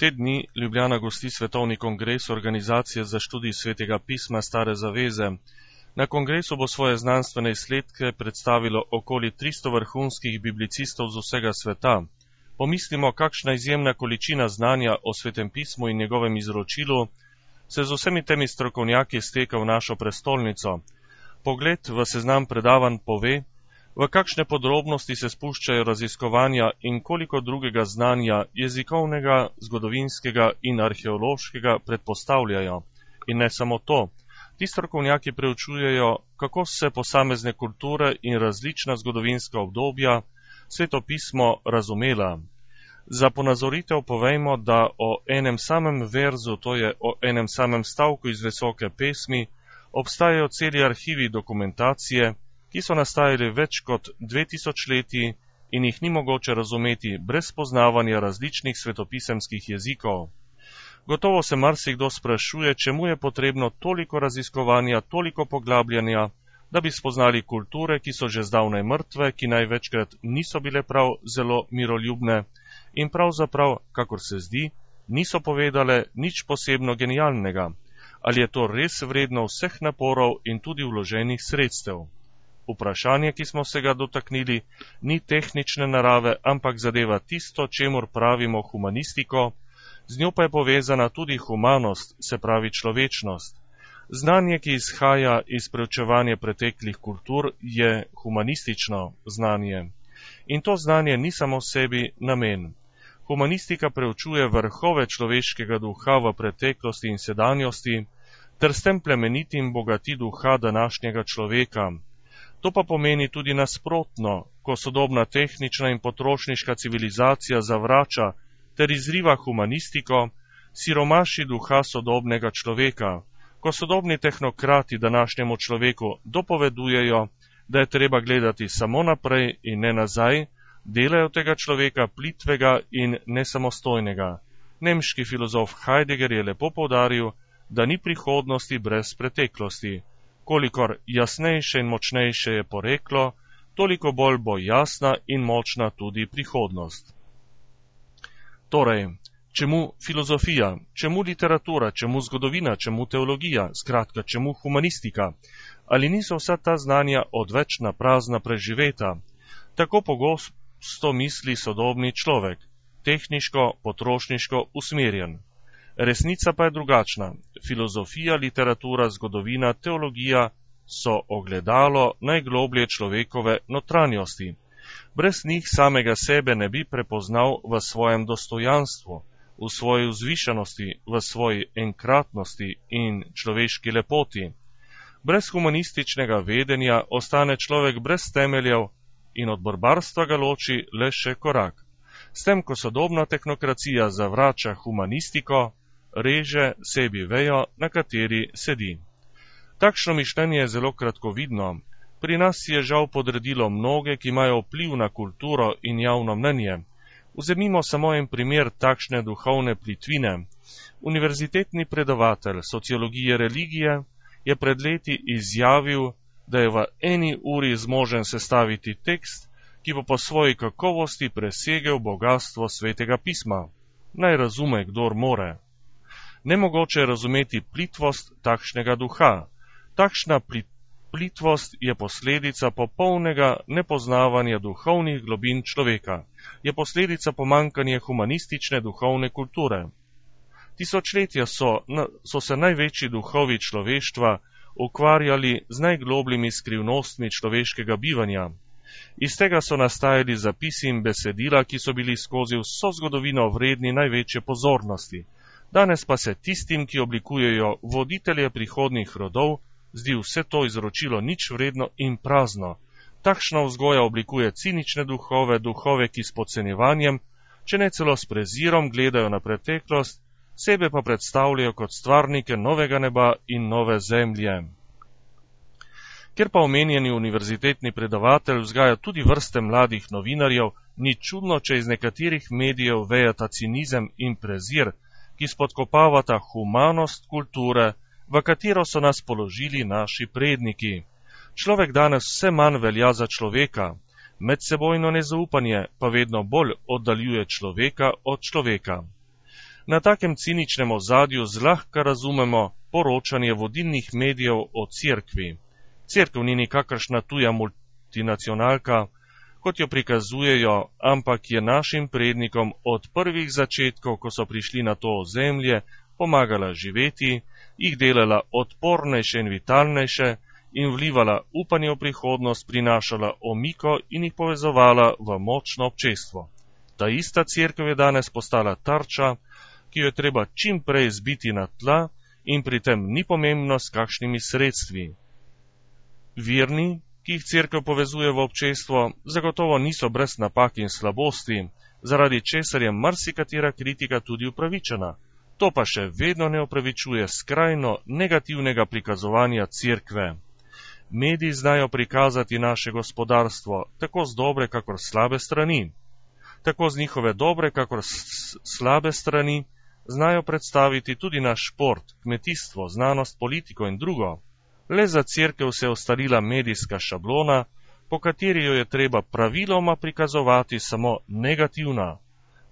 Te dni Ljubljana gosti svetovni kongres Organizacije za študij svetega pisma Stare zaveze. Na kongresu bo svoje znanstvene izsledke predstavilo okoli 300 vrhunskih biblicistov z vsega sveta. Pomislimo, kakšna izjemna količina znanja o svetem pismu in njegovem izročilu se z vsemi temi strokovnjaki steka v našo prestolnico. Pogled v seznam predavanj pove, v kakšne podrobnosti se spuščajo raziskovanja in koliko drugega znanja jezikovnega, zgodovinskega in arheološkega predpostavljajo. In ne samo to, ti strokovnjaki preučujejo, kako se posamezne kulture in različna zgodovinska obdobja sveto pismo razumela. Za ponazoritev povejmo, da o enem samem verzu, to je o enem samem stavku iz Visoke pesmi, obstajajo celi arhivi dokumentacije, ki so nastajali več kot 2000 leti in jih ni mogoče razumeti brez poznavanja različnih svetopisemskih jezikov. Gotovo se marsikdo sprašuje, čemu je potrebno toliko raziskovanja, toliko poglabljanja, da bi spoznali kulture, ki so že zdavnaj mrtve, ki največkrat niso bile prav zelo miroljubne in pravzaprav, kakor se zdi, niso povedale nič posebno genialnega. Ali je to res vredno vseh naporov in tudi vloženih sredstev? Vprašanje, ki smo se ga dotaknili, ni tehnične narave, ampak zadeva tisto, čemur pravimo humanistiko, z njo pa je povezana tudi humanost, se pravi človečnost. Znanje, ki izhaja iz preučevanja preteklih kultur, je humanistično znanje. In to znanje ni samo sebi namen. Humanistika preučuje vrhove človeškega duha v preteklosti in sedanjosti, ter s tem plemeniti in bogati duha današnjega človeka. To pa pomeni tudi nasprotno, ko sodobna tehnična in potrošniška civilizacija zavrača ter izriva humanistiko, siromaši duha sodobnega človeka, ko sodobni tehnokrati današnjemu človeku dopovedujejo, da je treba gledati samo naprej in ne nazaj, delajo tega človeka plitvega in nesamostojnega. Nemški filozof Heidegger je lepo poudaril, da ni prihodnosti brez preteklosti. Kolikor jasnejše in močnejše je poreklo, toliko bolj bo jasna in močna tudi prihodnost. Torej, čemu filozofija, čemu literatura, čemu zgodovina, čemu teologija, skratka, čemu humanistika? Ali niso vsa ta znanja odvečna prazna preživeta? Tako pogosto misli sodobni človek, tehniško, potrošniško usmerjen. Resnica pa je drugačna. Filozofija, literatura, zgodovina, teologija so ogledalo najgloblje človekove notranjosti. Brez njih samega sebe ne bi prepoznal v svojem dostojanstvu, v svoji vzvišenosti, v svoji enkratnosti in človeški lepoti. Brez humanističnega vedenja ostane človek brez temeljev in od barbarstva ga loči le še korak. S tem, ko sodobna tehnokracija zavrača humanistiko, reže sebi vejo, na kateri sedi. Takšno mišljenje je zelo kratkovidno. Pri nas je žal podredilo mnoge, ki imajo vpliv na kulturo in javno mnenje. Vzemimo samo en primer takšne duhovne plitvine. Univerzitetni predavatelj sociologije religije je pred leti izjavil, da je v eni uri zmožen sestaviti tekst, ki bo po svoji kakovosti presegel bogatstvo svetega pisma. Naj razume, kdor more. Nemogoče je razumeti plitvost takšnega duha. Takšna plitvost je posledica popolnega nepoznavanja duhovnih globin človeka. Je posledica pomanjkanja humanistične duhovne kulture. Tisočletja so se največji duhovi človeštva ukvarjali z najglobljimi skrivnostmi človeškega bivanja. Iz tega so nastajali zapisi in besedila, ki so bili skozi vso zgodovino vredni največje pozornosti. Danes pa se tistim, ki oblikujejo voditelje prihodnjih rodov, zdi vse to izročilo nič vredno in prazno. Takšna vzgoja oblikuje cinične duhove, duhove, ki s podcenjevanjem, če ne celo s prezirom, gledajo na preteklost, sebe pa predstavljajo kot stvarnike novega neba in nove zemlje. Ker pa omenjeni univerzitetni predavatelj vzgaja tudi vrste mladih novinarjev, ni čudno, če iz nekaterih medijev vejata cinizem in prezir, ki spodkopavata humanost kulture, v katero so nas položili naši predniki. Človek danes vse manj velja za človeka, medsebojno nezaupanje pa vedno bolj oddaljuje človeka od človeka. Na takem ciničnem ozadju zlahka razumemo poročanje vodilnih medijev o cerkvi. Cerkev ni nikakršna tuja multinacionalka, kot jo prikazujejo, ampak je našim prednikom od prvih začetkov, ko so prišli na to ozemlje, pomagala živeti, jih delala odpornejše in vitalnejše in vlivala upanje v prihodnost, prinašala omiko in jih povezovala v močno občestvo. Ta ista cerkev je danes postala tarča, ki jo je treba čim prej zbiti na tla in pri tem ni pomembno, s kakšnimi sredstvi. Verni, ki jih cerkev povezuje v občestvo, zagotovo niso brez napak in slabosti, zaradi česar je marsikatera kritika tudi upravičena. To pa še vedno ne opravičuje skrajno negativnega prikazovanja cerkve. Mediji znajo prikazati naše gospodarstvo tako z dobre kakor slabe strani. Tako z njihove dobre kakor slabe strani znajo predstaviti tudi naš šport, kmetijstvo, znanost, politiko in drugo. Le za cerkev se je ustalila medijska šablona, po kateri jo je treba praviloma prikazovati samo negativna,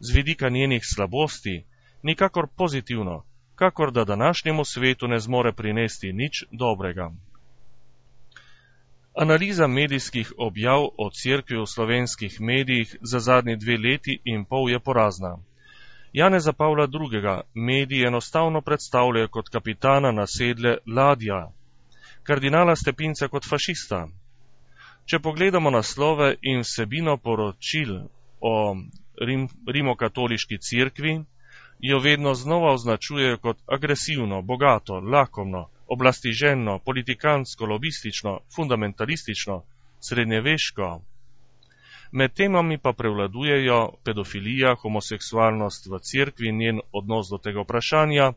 z vidika njenih slabosti, nikakor pozitivno, kakor da današnjemu svetu ne zmore prinesti nič dobrega. Analiza medijskih objav o cerkvi v slovenskih medijih za zadnji 2 leti in pol je porazna. Janeza Pavla II. Mediji enostavno predstavljajo kot kapitana nasedle ladja, kardinala Stepinca kot fašista. Če pogledamo naslove in vsebino poročil o rimokatoliški cerkvi, jo vedno znova označujejo kot agresivno, bogato, lakomno, oblastiženo, politikansko, lobistično, fundamentalistično, srednjeveško. Med temami pa prevladujejo pedofilija, homoseksualnost v cerkvi in njen odnos do tega vprašanja,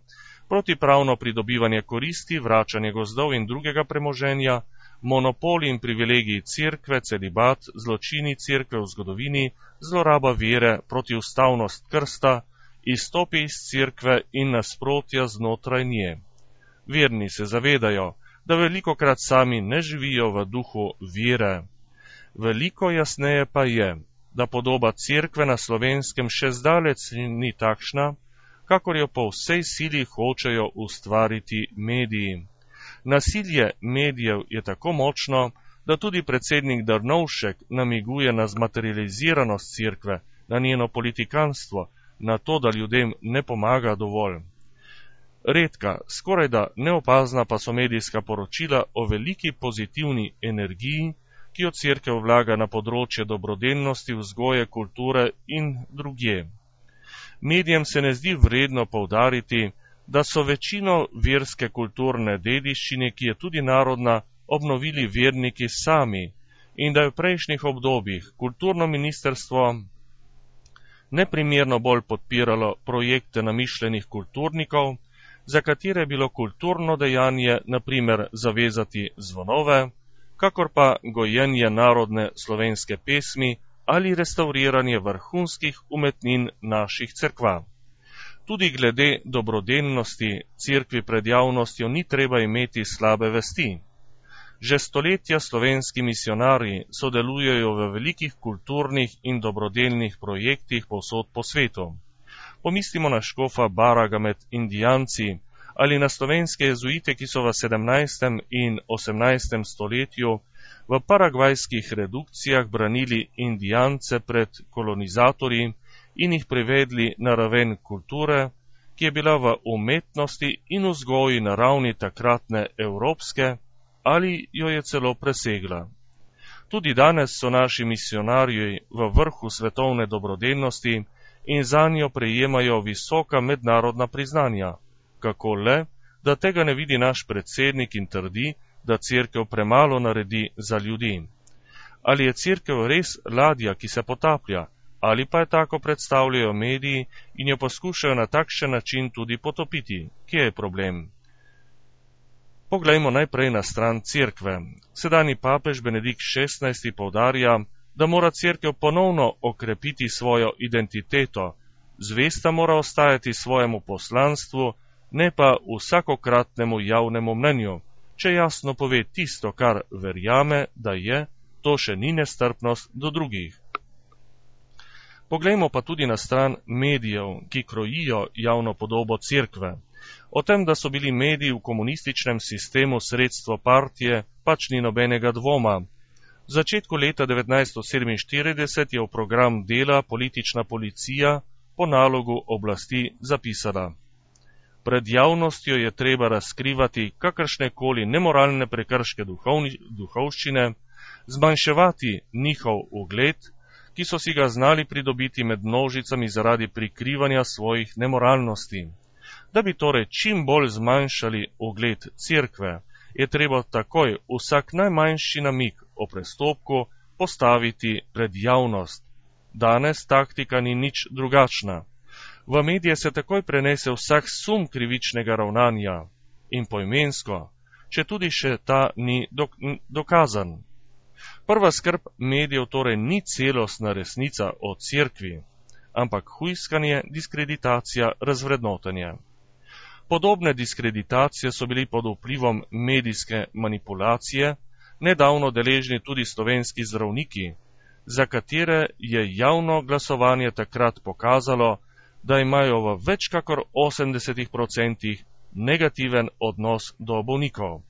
protipravno pridobivanje koristi, vračanje gozdov in drugega premoženja, monopoli in privilegiji cerkve, celibat, zločini cerkve v zgodovini, zloraba vere, protiustavnost krsta, izstopi iz cerkve in nasprotja znotraj nje. Verni se zavedajo, da velikokrat sami ne živijo v duhu vere. Veliko jasneje pa je, da podoba cerkve na Slovenskem še zdaleč ni takšna, kakor jo po vsej sili hočejo ustvariti mediji. Nasilje medijev je tako močno, da tudi predsednik Drnovšek namiguje na zmaterializiranost cerkve, na njeno politikanstvo, na to, da ljudem ne pomaga dovolj. Redka, skorajda neopazna pa so medijska poročila o veliki pozitivni energiji, ki jo cerkev vlaga na področje dobrodelnosti, vzgoje, kulture in drugje. Medijem se ne zdi vredno poudariti, da so večino verske kulturne dediščine, ki je tudi narodna, obnovili verniki sami in da je v prejšnjih obdobjih kulturno ministrstvo neprimerno bolj podpiralo projekte namišljenih kulturnikov, za katere je bilo kulturno dejanje na primer zavezati zvonove, kakor pa gojenje narodne slovenske pesmi ali restavriranje vrhunskih umetnin naših cerkva. Tudi glede dobrodelnosti cerkvi pred javnostjo ni treba imeti slabe vesti. Že stoletja slovenski misionarji sodelujejo v velikih kulturnih in dobrodelnih projektih povsod po svetu. Pomislimo na škofa Baraga med Indijanci ali na slovenske jezuite, ki so v 17. in 18. stoletju v paragvajskih redukcijah branili Indijance pred kolonizatorji in jih privedli na raven kulture, ki je bila v umetnosti in vzgoji na ravni takratne evropske ali jo je celo presegla. Tudi danes so naši misionarji v vrhu svetovne dobrodelnosti in zanjo prejemajo visoka mednarodna priznanja. Kako le, da tega ne vidi naš predsednik in trdi, da cerkev premalo naredi za ljudi. Ali je cerkev res ladja, ki se potaplja, ali pa je tako predstavljajo mediji in jo poskušajo na takšen način tudi potopiti? Kje je problem? Poglejmo najprej na stran cerkve. Sedanji papež Benedikt XVI poudarja, da mora cerkev ponovno okrepiti svojo identiteto, zvesta mora ostajati svojemu poslanstvu, ne pa vsakokratnemu javnemu mnenju. Če jasno pove tisto, kar verjame, da je, to še ni nestrpnost do drugih. Poglejmo pa tudi na stran medijev, ki krojijo javno podobo cerkve. O tem, da so bili mediji v komunističnem sistemu sredstvo partije, pač ni nobenega dvoma. V začetku leta 1947 je v program dela politična policija po nalogu oblasti zapisala: pred javnostjo je treba razkrivati kakršnekoli nemoralne prekrške duhovščine, zmanjševati njihov ugled, ki so si ga znali pridobiti med množicami zaradi prikrivanja svojih nemoralnosti. Da bi torej čim bolj zmanjšali ugled cerkve, je treba takoj vsak najmanjši namig o prestopku postaviti pred javnost. Danes taktika ni nič drugačna. V medije se takoj prenese vsak sum krivičnega ravnanja in poimensko, če tudi še ta ni dokazan. Prva skrb medijev torej ni celostna resnica o cerkvi, ampak hujskanje, diskreditacija, razvrednotenje. Podobne diskreditacije so bili pod vplivom medijske manipulacije nedavno deležni tudi slovenski zdravniki, za katere je javno glasovanje takrat pokazalo, da imajo v več kakor 80% negativen odnos do bolnikov.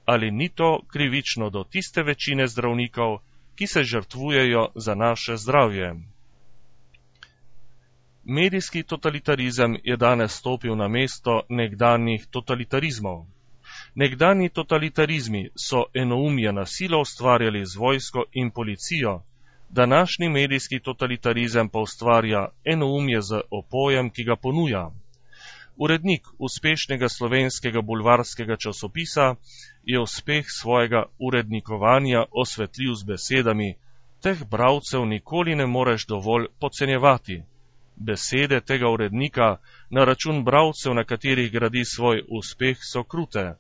Ali ni to krivično do tiste večine zdravnikov, ki se žrtvujejo za naše zdravje? Medijski totalitarizem je danes stopil na mesto nekdanjih totalitarizmov. Nekdanji totalitarizmi so enoumje na silo ustvarjali z vojsko in policijo, današnji medijski totalitarizem pa ustvarja enoumje z opojem, ki ga ponuja. Urednik uspešnega slovenskega bulvarskega časopisa je uspeh svojega urednikovanja osvetlil z besedami: teh bralcev nikoli ne moreš dovolj podcenjevati. Besede tega urednika na račun bralcev, na katerih gradi svoj uspeh, so krute.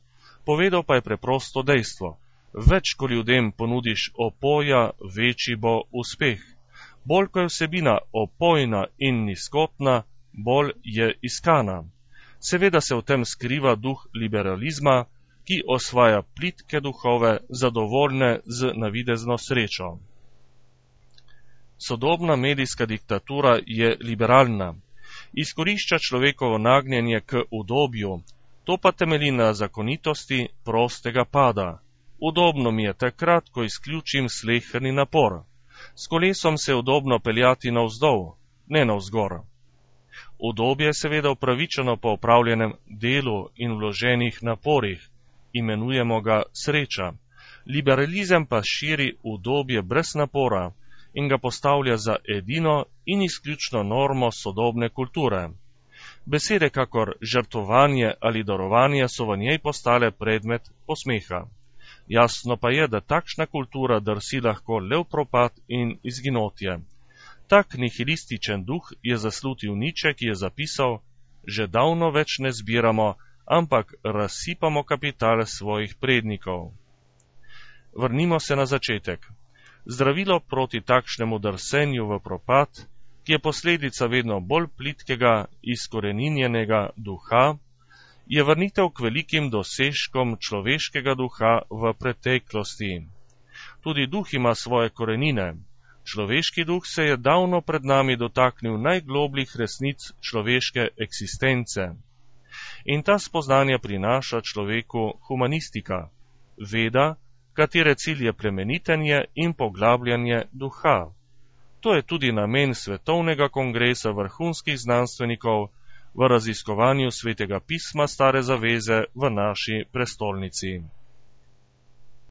Povedal pa je preprosto dejstvo: več, ko ljudem ponudiš opoja, večji bo uspeh. Bolj, ko je vsebina opojna in nizkotna, bolj je iskana. Seveda se v tem skriva duh liberalizma, ki osvaja plitke duhove, zadovoljne z navidezno srečo. Sodobna medijska diktatura je liberalna. Izkorišča človekovo nagnjenje k udobju, to pa temelji na zakonitosti prostega pada. Udobno mi je takrat, ko izključim sleherni napor. S kolesom se je udobno peljati navzdol, ne navzgor. Udobje je seveda upravičeno po opravljenem delu in vloženih naporih, imenujemo ga sreča. Liberalizem pa širi udobje brez napora in ga postavlja za edino in izključno normo sodobne kulture. Besede kakor žrtvovanje ali darovanje so v njej postale predmet posmeha. Jasno pa je, da takšna kultura drsi lahko le v propad in izginotje. Tak nihilističen duh je zaslutil Nietzsche, ki je zapisal: že davno več ne zbiramo, ampak razsipamo kapital svojih prednikov. Vrnimo se na začetek. Zdravilo proti takšnemu drsenju v propad, ki je posledica vedno bolj plitkega, izkoreninjenega duha, je vrnitev k velikim dosežkom človeškega duha v preteklosti. Tudi duh ima svoje korenine. Človeški duh se je davno pred nami dotaknil najglobljih resnic človeške eksistence. In ta spoznanja prinaša človeku humanistika, veda, katere cilj je plemenitenje in poglabljanje duha. To je tudi namen Svetovnega kongresa vrhunskih znanstvenikov v raziskovanju Svetega pisma Stare zaveze v naši prestolnici.